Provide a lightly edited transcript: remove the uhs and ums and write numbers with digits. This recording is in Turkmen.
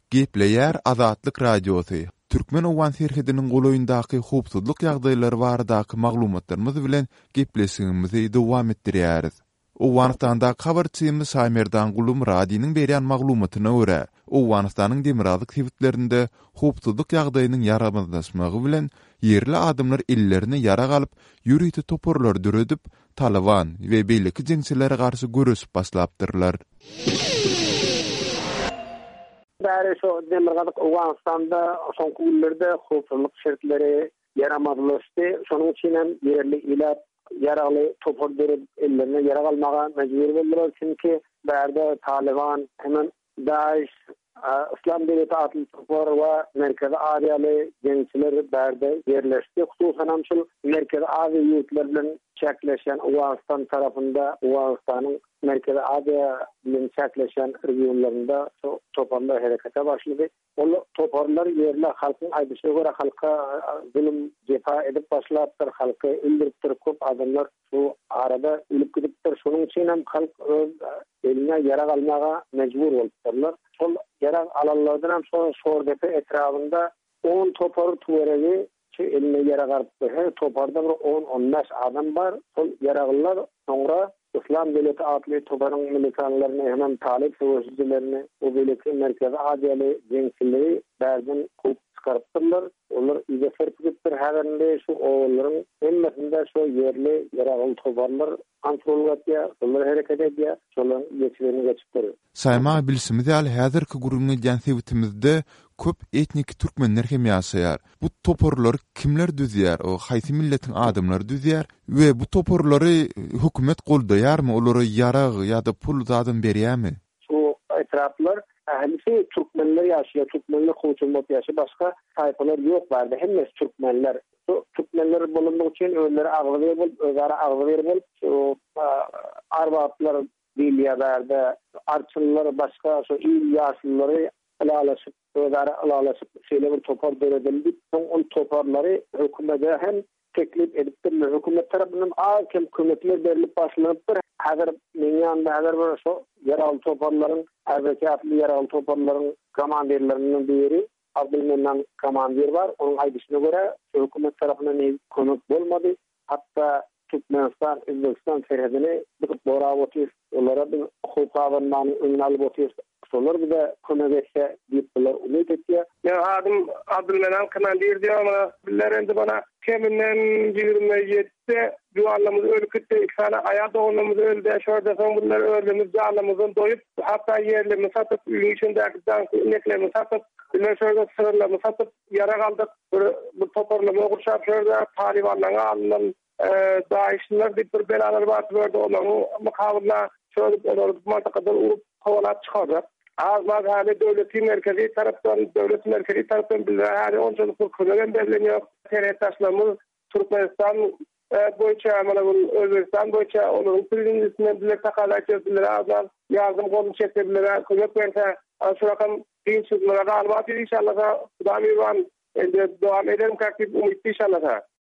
Gepleýär Azatlyk Radiosy, Türkmen-owgan serhediniň golaýyndaky howpsuzlyk ýagdaýlary baradaky maglumatlarymyz bilen gepleşigimizi dowam etdirýäris. Owganystandaky habarçymyz Şaýmerdan Gulumyradynyň berýän maglumatyna görä, Owganystanyň demirgazyk sebitlerinde howpsuzlyk ýagdaýynyň ýaramazlaşmagy bilen ýerli adamlar ellerine ýarag alyp, ýörite toparlary döredip, Talyban we beýleki jeňçilere garşy göreşip başlapdyrlar. Bäri şu demirgazyk Owganystanda soňky günlerde howpsuzlyk şertleri ýaramazlaşdy. Şonuň üçin hem ýerli ilat ýaragly topar döredip, ellerine ýarag almaga mejbur boldular. Çünki bärde Talyban hemem DAIŞ, Yslam döwleti atly topar we Merkezi Aziýaly jeňçiler bärde ýerleşdi. Hususanam şul Merkezi Aziýa ýurtlary bilen çäkleşýän Owganystan tarapynda Owganystanyň Merkezi Aziýa bilen çäkleşýän regionlarynda şu toparlar herekete başlady. Ol toparlar ýerli halkyň aýdyşyna görä halka zulum jepa edip başlapdyr, halky öldüripdir, köp adamlar şu arada ölüp gidipdir. Şonuň üçin hem halk öz eline ýarag almaga mejbur bolupdyrlar. Şol ýarag alanlardan hem şo Şordepe etrabynda on topar töweregi şu eline ýarag alypdyr. Her toparda bir on-on bäş adam bar. Şol ýaraglylar soňra Yslam döwleti atly toparyň militanlaryny hemem talyp söweşijilerini we beýleki Merkezi Aziýaly jeňçileri bärden kowup çykarypdyrlar. Olar yza serpigipdir. Häzir indi şu obalaryň hemmesinde şu ýerli ýaragly toparlar kontrollyk etýär, şolar hereket edýär, şolaryň eýeçiligine geçipdir. Saýma, bilşimiz ýaly häzirki gürrüň edýän sebitimizde köp etniki türkmenler hem ýaşaýar. Bu toparlary kimler düzýär, haýsy milletiň adamlary düzýär we bu toparlary hökümet goldaýarmy, olara ýarag ýa-da pul zadam berýärmi? Şu etraplar ählisi türkmenler ýaşaýar, türkmenler kowçum bolup ýaşaýar, başga taýpalar ýok bärde, hemmesi türkmenler. Şu türkmenler bolandygy üçin özleri agzybir bolup, özara agzybir bolup, şu arbaplar diýilýär bärde, arçynlar başga şu il ýaşululary ylalaşyp, özara ylalaşyp şeýle bir topar döredeli diýip, soň ol toparlary hökümede hem teklip edipdirler. Hökümet tarapyndan az-kem kömekler berlip başlanypdyr. Häzir meň ýanymda häzir bir şo ýaragly toparlaryň, RBK atly ýaragly toparlaryň komandirlerinden biri Abdylmennan komandir bar. Onuň aýdyşyna görä, şu hökümet tarapyndan hiç kömek bolmady. Hatda Türkmenistan, Özbegistan serhedini biz gorap otyrys. Olara biz howp abanmanyň öňüni alyp otyrys. Şolar bize kömek etse diýip bular umyt etýär. Meň adym Abdylmenan komandir diýýär mana. Bizler indi mana keminden 27 juwanlarymyz ölüp gitdi, iki sany aýal doganlarymyz öldi. Şo ýerde soň bizler özlerimiz janlarymyzdan doýup, hatda ýerlerimizi satyp, öýüň içindäki daňky ineklerimizi satyp, bizler şo ýerde sygyrlarymyzy satyp, ýarag aldyk. Bir bir toparlama gurşap şo ýerde talybanlaryň alnyndan Daişliler diýip bir belalar bar şu ýerde olaryň mukabylynda şöyle olary bu mantakadan urup kowalap çykardyk. Az-maz häli döwleti merkezi tarapdan, döwlet merkezi tarapdan bizlere häli onçalyk bir kömek hem berlen ýok. Serhetdaşlarymyz Türkmenistan boýunça, mana bu Özbegistan boýunça olaryň prezidentinden bizler takala etýäris, bizlere az-maz ýardam goluny çekse, bizlere kömek berse, şu rakam kynçylyklara galyp atyr inşallasa, Huda mirwan, indi dowam ederimkäk diýip umytly inşallasa.